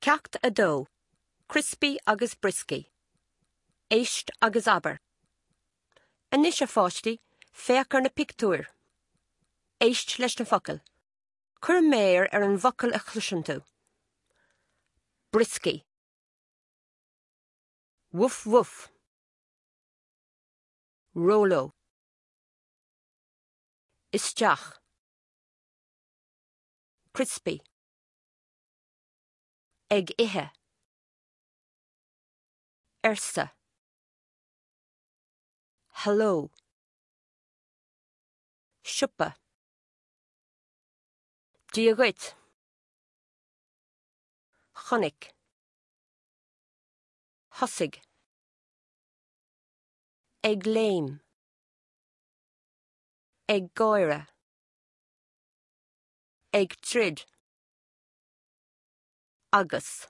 Ceacht 2, Criospaí agus Brioscaí. Éist agus abair. Anois, a pháistí, féach ar na pictiúir. Éist leis na focail. Cuir méar ar an bhfocal a chloiseann tú. Brioscaí. Wuf wuf. Róló. Isteach. Criospaí. Ag ithe. Arsa. Hello. Siopa. Dia dhuit. Chonaic. Thosaigh. Ag léim. Ag gáire. Ag troid. Agus.